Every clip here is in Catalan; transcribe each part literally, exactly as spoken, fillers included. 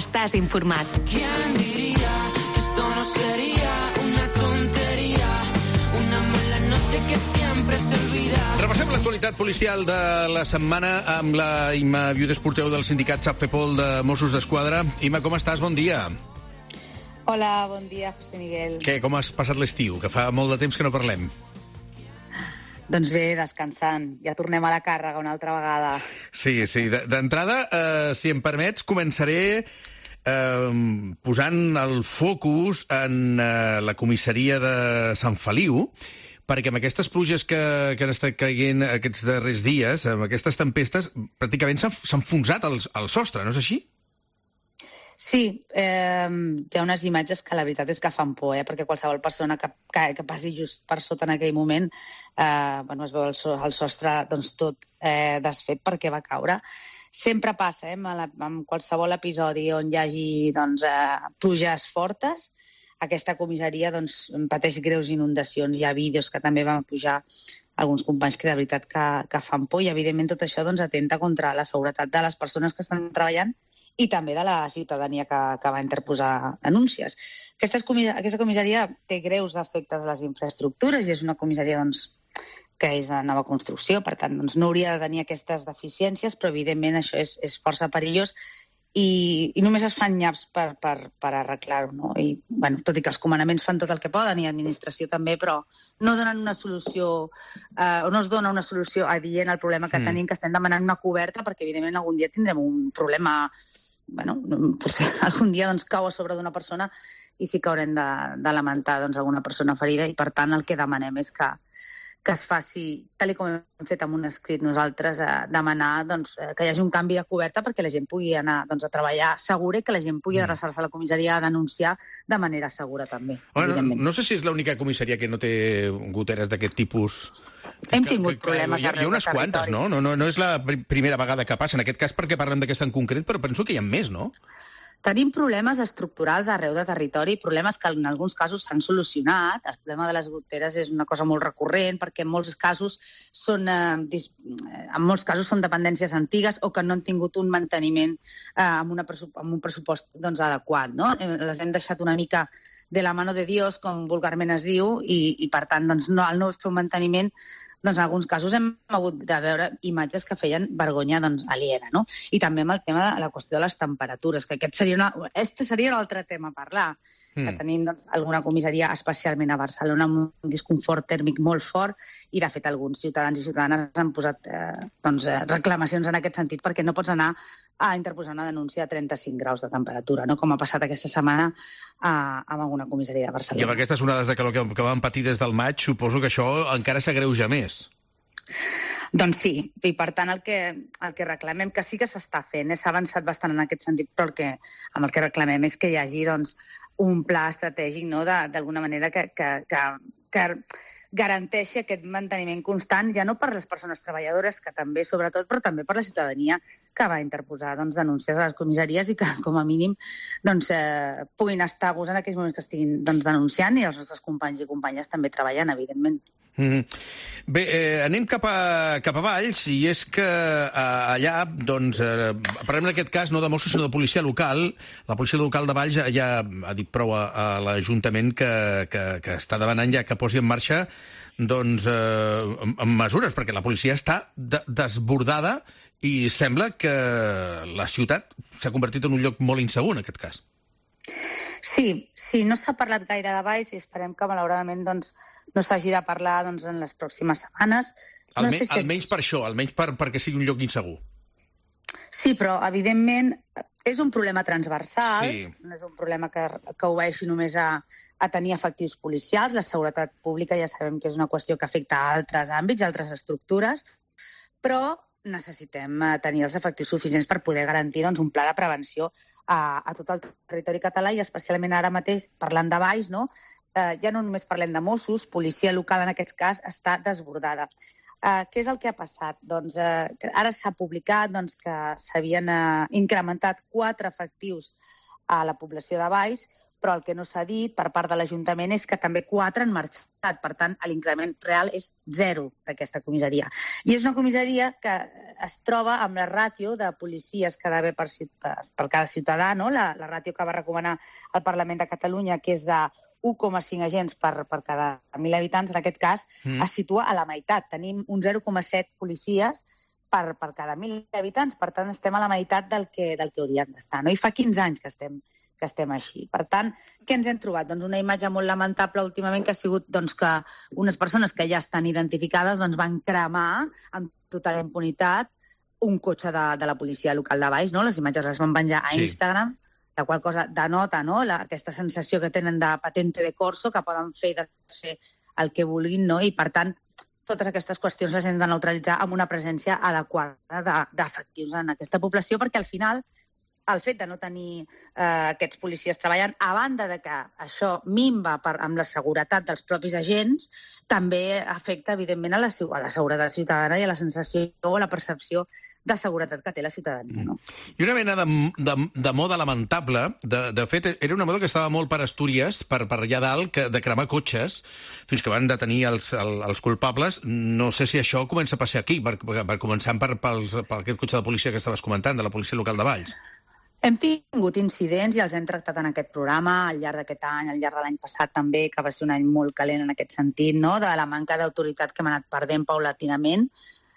estàs informat. ¿Quién diría que esto no sería una tontería? Una mala noche que siempre se olvida. Repassem l'actualitat policial de la setmana amb la Imma Viudes, porteu del sindicat SAPFEPOL de Mossos d'Esquadra. Imma, com estàs? Bon dia. Hola, bon dia, José Miguel. Què, com has passat l'estiu? Que fa molt de temps que no parlem. Doncs bé, descansant. Ja tornem a la càrrega una altra vegada. Sí, sí. D'entrada, eh, si em permets, començaré eh, posant el focus en eh, la comissaria de Sant Feliu, perquè amb aquestes pluges que, que han estat caient aquests darrers dies, amb aquestes tempestes, pràcticament s'ha enfonsat el, el sostre, no és així? Sí, eh, hi ha unes imatges que la veritat és que fan por, eh? Perquè qualsevol persona que, que, que passi just per sota en aquell moment, eh, bueno, es veu el, so, el sostre doncs, tot eh, desfet perquè va caure. Sempre passa, eh, amb, la, amb qualsevol episodi on hi hagi doncs, eh, pluges fortes, aquesta comissaria doncs, pateix greus inundacions. Hi ha vídeos que també van pujar alguns companys que de veritat que, que fan por, i evidentment tot això doncs, atenta contra la seguretat de les persones que estan treballant i també de la ciutadania que, que va interposar denúncies. Aquesta, aquesta comissaria té greus defectes a les infraestructures i és una comissaria doncs, que és de nova construcció, per tant doncs, no hauria de tenir aquestes deficiències, però evidentment això és, és força perillós i, i només es fan nyaps per, per, per arreglar-ho. No? I, bueno, tot i que els comandaments fan tot el que poden i l'administració també, però no donen una solució, eh, o no es dona una solució adient al problema que mm. tenim, que estem demanant una coberta, perquè evidentment algun dia tindrem un problema. Bueno, potser algun dia doncs, cau a sobre d'una persona i sí que haurem de, de lamentar doncs, alguna persona ferida, i per tant el que demanem és que, que es faci, tal com hem fet amb un escrit nosaltres, eh, demanar doncs, que hi hagi un canvi de coberta perquè la gent pugui anar doncs, a treballar segura i que la gent pugui adreçar-se a la comissaria a denunciar de manera segura també. Bueno, no, no sé si és l'única comissaria que no té goteres d'aquest tipus. Hem tingut que, que, problemes hi ha, hi ha unes quantes, no? No, no? no és la primera vegada que passa. En aquest cas perquè parlem d'aquesta en concret, però penso que hi ha més, no? Tenim problemes estructurals arreu de territori, problemes que en alguns casos s'han solucionat. El problema de les goteres és una cosa molt recurrent perquè en molts casos són, eh, dis... en molts casos són dependències antigues o que no han tingut un manteniment eh, amb, una pressup... amb un pressupost doncs, adequat. No? Les hem deixat una mica de la mano de Dios, com vulgarment es diu, i, i per tant doncs, no, al no fer un manteniment, doncs en alguns casos hem hagut de veure imatges que feien vergonya doncs, aliena, no? I també amb el tema de la qüestió de les temperatures, que aquest seria, una, este seria un altre tema a parlar, mm. que tenim doncs, alguna comissaria, especialment a Barcelona, amb un disconfort tèrmic molt fort, i de fet alguns ciutadans i ciutadanes han posat eh, doncs, eh, reclamacions en aquest sentit, perquè no pots anar a interposar una denúncia a trenta-cinc graus de temperatura, no? Com ha passat aquesta setmana a, a alguna comissaria de Barcelona. I amb aquestes onades de calor que, que vam patir des del maig, suposo que això encara s'agreuja més. Doncs sí, i per tant el que, el que reclamem, que sí que s'està fent, eh? S'ha avançat bastant en aquest sentit, però el que, amb el que reclamem és que hi hagi doncs, un pla estratègic, no? d'alguna manera que, que, que, que garanteixi aquest manteniment constant, ja no per les persones treballadores, que també, sobretot, però també per la ciutadania que va interposar doncs, denúncies a les comissaries i que, com a mínim, doncs, eh, puguin estar a gust en aquells moments que estiguin doncs, denunciant, i els nostres companys i companyes també treballant, evidentment. Mm. Bé, eh, anem cap a, cap a Valls, i és que eh, allà, doncs, eh, parlem en aquest cas no de Mossos, sinó de policia local. La policia local de Valls ja, ja ha dit prou a, a l'Ajuntament que, que, que està demanant ja que posi en marxa doncs, eh, amb mesures, perquè la policia està de, desbordada i sembla que la ciutat s'ha convertit en un lloc molt insegur en aquest cas. Sí, sí, no s'ha parlat gaire de Valls i esperem que, malauradament, doncs, no s'hagi de parlar doncs, en les pròximes setmanes. No Alme, sé si almenys és... per això, almenys per, perquè sigui un lloc insegur. Sí, però, evidentment, és un problema transversal, Sí. no és un problema que, que obeeixi només a, a tenir efectius policials. La seguretat pública ja sabem que és una qüestió que afecta a altres àmbits, a altres estructures, però necessitem tenir els efectius suficients per poder garantir doncs, un pla de prevenció a, a tot el territori català, i especialment ara mateix, parlant de Valls, no? Eh, ja no només parlem de Mossos, policia local en aquest cas està desbordada. Eh, què és el que ha passat? Doncs eh, ara s'ha publicat doncs, que s'havien eh, incrementat quatre efectius a la població de Valls, però el que no s'ha dit per part de l'Ajuntament és que també quatre han marxat. Per tant, l'increment real és zero d'aquesta comissaria. I és una comissaria que es troba amb la ràtio de policies que ha d'haver per, per, per cada ciutadà, no? la, la ràtio que va recomanar el Parlament de Catalunya, que és de u coma cinc agents per, per cada mil habitants, en aquest cas, mm. es situa a la meitat. Tenim un zero coma set policies per, per cada mil habitants, per tant, estem a la meitat del que, del que hauríem d'estar. No? I fa quinze anys que estem que estem així. Per tant, què ens hem trobat? Doncs una imatge molt lamentable últimament que ha sigut doncs, que unes persones que ja estan identificades doncs, van cremar amb total impunitat un cotxe de, de la policia local de Valls. No? Les imatges les van penjar a sí. Instagram, la qual cosa denota no? la, aquesta sensació que tenen de patente de corso, que poden fer i desfer el que vulguin, no? I per tant, totes aquestes qüestions les hem de neutralitzar amb una presència adequada de, d'efectius en aquesta població, perquè al final el fet de no tenir eh, aquests policies treballant, a banda de que això minva per, amb la seguretat dels propis agents, també afecta, evidentment, a la, a la seguretat ciutadana i a la sensació o a la percepció de seguretat que té la ciutadania. No? I una mena de, de, de moda lamentable, de, de fet, era una moda que estava molt per Astúries, per, per allà dalt, que, de cremar cotxes, fins que van detenir els, el, els culpables. No sé si això comença a passar aquí, per, per, per començar per, per, per aquest cotxe de policia que estaves comentant, de la policia local de Valls. Hem tingut incidents i els hem tractat en aquest programa al llarg d'aquest any, al llarg de l'any passat també, que va ser un any molt calent en aquest sentit, no? De la manca d'autoritat que hem anat perdent paulatinament,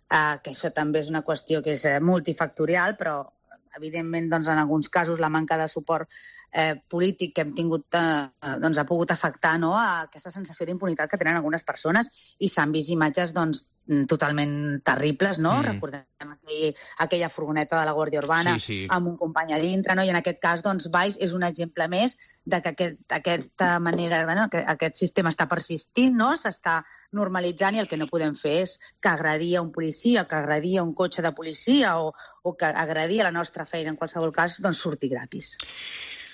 eh, que això també és una qüestió que és multifactorial, però evidentment doncs, en alguns casos la manca de suport eh, polític que hem tingut eh, doncs, ha pogut afectar no? a aquesta sensació d'impunitat que tenen algunes persones i s'han vist imatges doncs, totalment terribles, no? Mm. Recordem aquell, aquella furgoneta de la Guàrdia Urbana sí, sí. amb un company a dintre, no? I en aquest cas, doncs, Valls és un exemple més de que aquest, aquesta manera, bueno, que aquest sistema està persistint, no? S'està normalitzant i el que no podem fer és que agredir a un policia, que agredir a un cotxe de policia o, o que agredir a la nostra feina, en qualsevol cas, doncs surti gratis.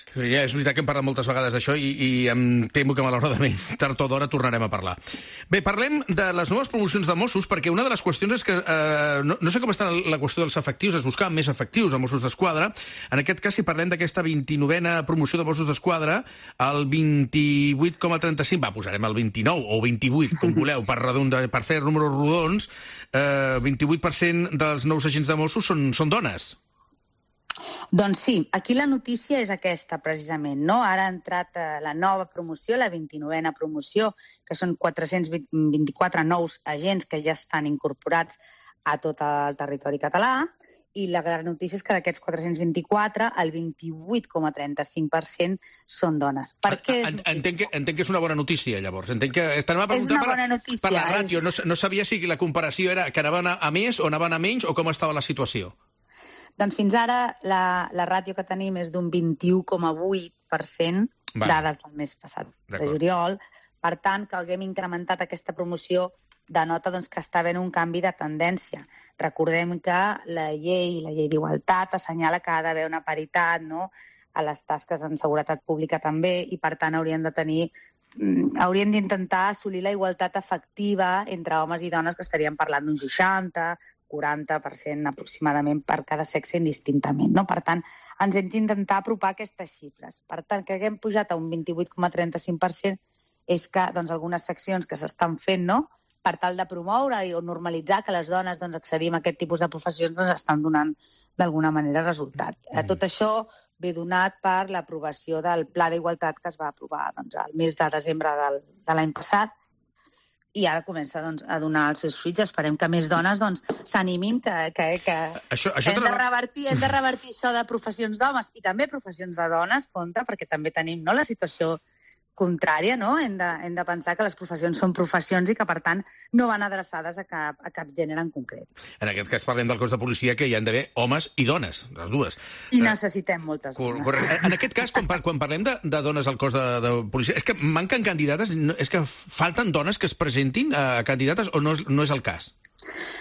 Ja, és veritat que hem parlat moltes vegades d'això i, i em temo que malauradament tard o d'hora tornarem a parlar. Bé, parlem de les noves promocions de Mossos, perquè una de les qüestions és que eh, no, no sé com està la qüestió dels efectius, es buscaven més efectius a Mossos d'Esquadra. En aquest cas, si parlem d'aquesta vint-i-novena promoció de Mossos d'Esquadra, el vint-i-vuit coma trenta-cinc, va, posarem el vint-i-nou o vint-i-vuit, com voleu, per, redonda, per fer números rodons, eh, vint-i-vuit per cent dels nous agents de Mossos són, són dones. Doncs sí, aquí la notícia és aquesta, precisament, no? Ara ha entrat eh, la nova promoció, la vint-i-novena promoció, que són quatre-cents vint-i-quatre nous agents que ja estan incorporats a tot el territori català, i la gran notícia és que d'aquests quatre-cents vint-i-quatre, el vint-i-vuit coma trenta-cinc per cent són dones. Per què és notícia? Entenc que, entenc que és una bona notícia, llavors. Entenc que estem a preguntar per, notícia, per la ràtio. És... No, no sabia si la comparació era que anaven a més o anaven a menys o com estava la situació. Doncs fins ara la, la ràtio que tenim és d'un vint-i-u coma vuit per cent, vale. Dades del mes passat de juliol. Per tant, que haguem incrementat aquesta promoció denota doncs, que està havent un canvi de tendència. Recordem que la llei, la llei d'igualtat, assenyala que ha d'haver una paritat no? a les tasques en seguretat pública també i, per tant, haurien de tenir hauríem d'intentar assolir la igualtat efectiva entre homes i dones, que estaríem parlant d'un seixanta, quaranta per cent aproximadament per cada sexe indistintament. No? Per tant, ens hem d'intentar apropar aquestes xifres. Per tant, que haguem pujat a un vint-i-vuit coma trenta-cinc per cent és que doncs, algunes seccions que s'estan fent no? per tal de promoure o normalitzar que les dones doncs, accedim a aquest tipus de professions doncs, estan donant d'alguna manera resultat. Mm. Tot això ve donat per l'aprovació del Pla d'Igualtat que es va aprovar doncs, al mes de desembre del, de l'any passat i ara comença doncs, a donar els seus fruits. Esperem que més dones doncs, s'animin, que, que, que, això, això hem, de revertir, hem de revertir això de professions d'homes i també professions de dones, compte, perquè també tenim no, la situació contrària, no? Hem de, hem de pensar que les professions són professions i que, per tant, no van adreçades a cap, a cap gènere en concret. En aquest cas parlem del cos de policia que hi han d'haver homes i dones, les dues. I necessitem moltes dones. Correcte. En aquest cas, quan, quan parlem de, de dones al cos de, de policia, és que manquen candidates, és que falten dones que es presentin a candidates o no, no és el cas?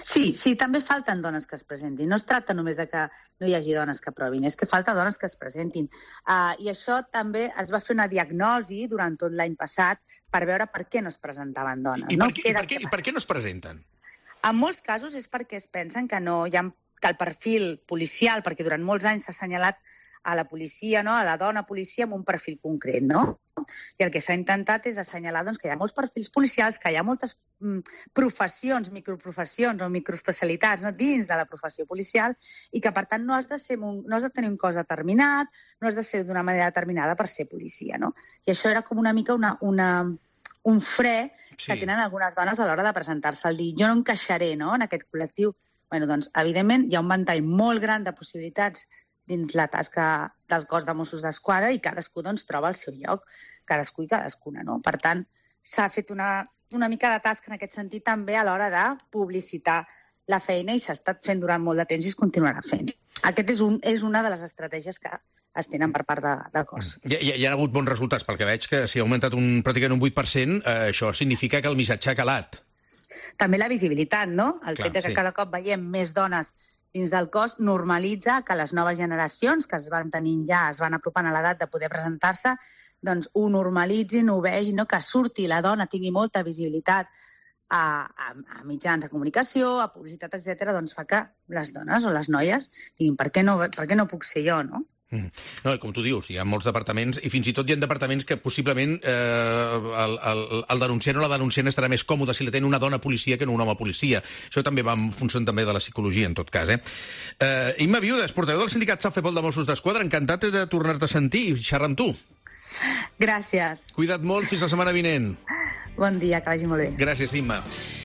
Sí, sí, també falten dones que es presentin. No es tracta només de que no hi hagi dones que provin, és que falta dones que es presentin. Uh, I això també es va fer una diagnosi durant tot l'any passat per veure per què no es presentaven dones. I, no? per, què, i, per, què, I per què no es presenten? En molts casos és perquè es pensen que no hi ha que el perfil policial, perquè durant molts anys s'ha assenyalat a la policia, no? A la dona policia amb un perfil concret, no? I el que s'ha intentat és assenyalar doncs, que hi ha molts perfils policials, que hi ha moltes mm, professions, microprofessions o microespecialitats no? dins de la professió policial i que, per tant, no has de, ser un, no has de tenir un cos determinat, no has de ser d'una manera determinada per ser policia, no? I això era com una mica una, una, un fre sí. que tenen algunes dones a l'hora de presentar-se al dir jo no encaixaré no? en aquest col·lectiu. Bueno, doncs, evidentment, hi ha un ventall molt gran de possibilitats dins la tasca del cos de Mossos d'Esquadra i cadascú doncs, troba el seu lloc, cadascú i cadascuna. No? Per tant, s'ha fet una, una mica de tasca en aquest sentit també a l'hora de publicitar la feina i s'ha estat fent durant molt de temps i es continuarà fent. Aquest és, un, és una de les estratègies que es tenen per part de, del cos. Hi, hi, hi ha hagut bons resultats, perquè veig que si ha augmentat un, pràcticament un vuit per cent, eh, això significa que el missatge ha calat. També la visibilitat, no? El Clar, fet de que sí. cada cop veiem més dones dins del cos normalitza que les noves generacions que es van tenint ja, es van apropant a l'edat de poder presentar-se, doncs ho normalitzin, ho vegin, no? Que surti la dona, tingui molta visibilitat a, a, a mitjans de comunicació, a publicitat, etcètera, doncs fa que les dones o les noies diguin per què no, per què no puc ser jo, no? Mm. No, com tu dius, hi ha molts departaments i fins i tot hi ha departaments que possiblement eh, el, el, el denunciant o la denunciant estarà més còmode si la té una dona policia que no un home policia. Això també va en funció també de la psicologia, en tot cas. Eh? Eh, Imma Viudes, portaveu del sindicat Safepol de Mossos d'Esquadra, encantat de tornar-te a sentir i xerrar amb tu. Gràcies. Cuida't molt, fins la setmana vinent. Bon dia, que vagi molt bé. Gràcies, Imma.